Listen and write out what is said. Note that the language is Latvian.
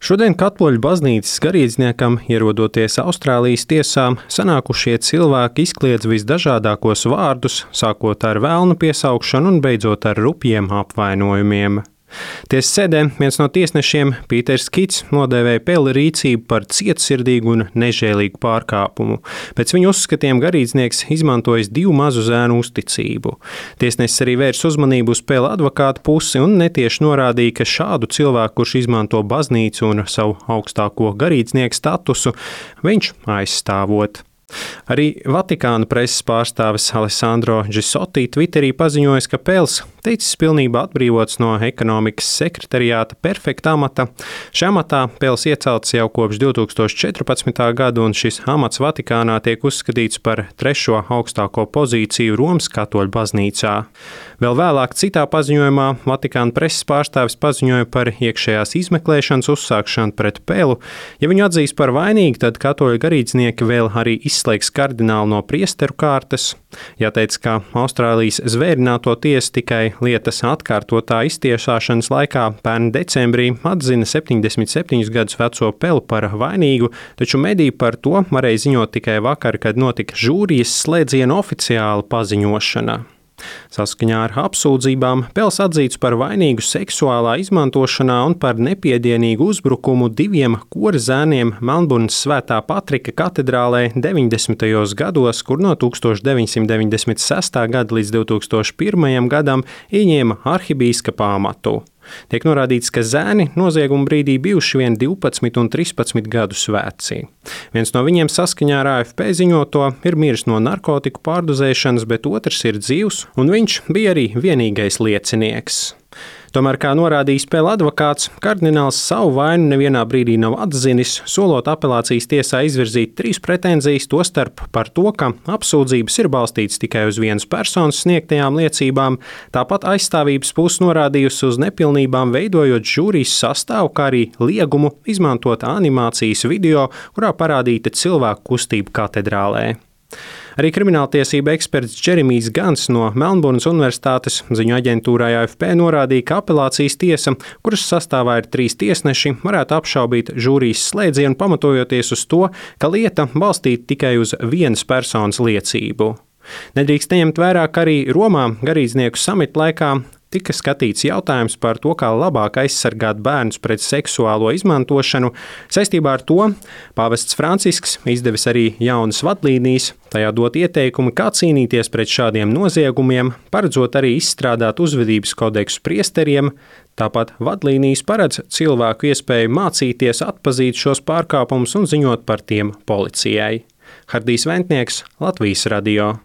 Šodien Katoļu baznīcas garīdzniekam, ierodoties Austrālijas tiesā, sanākušie cilvēki izkliedz visdažādākos vārdus, sākot ar velna piesaukšanu un beidzot ar rupjiem apvainojumiem. Tiesas sēdē viens no tiesnešiem, Pīters Kits, nodēvēja Peli rīcību par cietsirdīgu un nežēlīgu pārkāpumu. Pēc viņa uzskatiem garīdznieks izmantojis 2 mazu zēnu uzticību. Tiesnesis arī vērs uzmanību uz Peli advokāta pusi un netieši norādīja, ka šādu cilvēku, kurš izmanto baznīcu un savu augstāko garīdznieku statusu, viņš aizstāvot. Arī Vatikāna preses pārstāvis Alessandro Gisotti Twitterī paziņojis, ka Pels ticis pilnībā atbrīvots no ekonomikas sekretariāta perfekta amata. Šajā amatā Pels iecelts jau kopš 2014. gada, un šis amats Vatikānā tiek uzskatīts par 3. augstāko pozīciju Romas katoļu baznīcā. Vēl vēlāk citā paziņojumā Vatikāna preses pārstāvis paziņoja par iekšējās izmeklēšanas uzsākšanu pret Pelu. Ja viņu atzīs par vainīgu, tad katoļu garīdznieki vēl arī izslēgs kardinālu no priesteru kārtas. Jāteic, ka Austrālijas zvērināto tiesa tikai lietas atkārtotā iztiesāšanas laikā pērn decembrī atzina 77 gadus veco Peli par vainīgu, taču mediji par to varēja ziņot tikai vakar, kad notika žūrijas slēdziena oficiāla paziņošana. Saskaņā ar apsūdzībām Pels atzīts par vainīgu seksuālā izmantošanā un par nepiedienīgu uzbrukumu 2 kora zēniem Melnburnas Svētā Patrika katedrālē 90. gados, kur no 1996. gada līdz 2001. gadam ieņēma arhibīskapa amatu. Tiek norādīts, ka zēni nozieguma brīdī bijuši vien 12 un 13 gadus veci. Viens no viņiem saskaņā ar AFP ziņoto ir miris no narkotiku pārdozēšanas, bet otrs ir dzīvs, un viņš bija arī vienīgais liecinieks. Tomēr, kā norādījis Peli advokāts, kardināls savu vainu nevienā brīdī nav atzinis, solot apelācijas tiesā izvirzīt 3 pretenzijas, tostarp par to, ka apsūdzības ir balstītas tikai uz vienas personas sniegtajām liecībām, tāpat aizstāvības puse norādījusi uz nepilnībām veidojot žūrijas sastāvu, kā arī liegumu izmantot animācijas video, kurā parādīta cilvēku kustība katedrālē. Arī krimināltiesība eksperts Džeremijs Gans no Melnburnas Universitātes ziņu aģentūrai AFP norādīja, ka apelācijas tiesa, kuras sastāvā ir 3 tiesneši, varētu apšaubīt žūrijas slēdzienu, pamatojoties uz to, ka lieta balstīta tikai uz vienas personas liecību. Nedrīkst neņemt vērā, ka arī Romā garīdznieku samita laikā tika skatīts jautājums par to, kā labāk aizsargāt bērnus pret seksuālo izmantošanu. Saistībā ar to pāvests Francisks izdevis arī jaunas vadlīnijas, tajā dot ieteikumi, kā cīnīties pret šādiem noziegumiem, paredzot arī izstrādāt uzvedības kodeksu priesteriem. Tāpat vadlīnijas paredz cilvēku iespēju mācīties atpazīt šos pārkāpumus un ziņot par tiem policijai. Hardijs Ventnieks, Latvijas radio.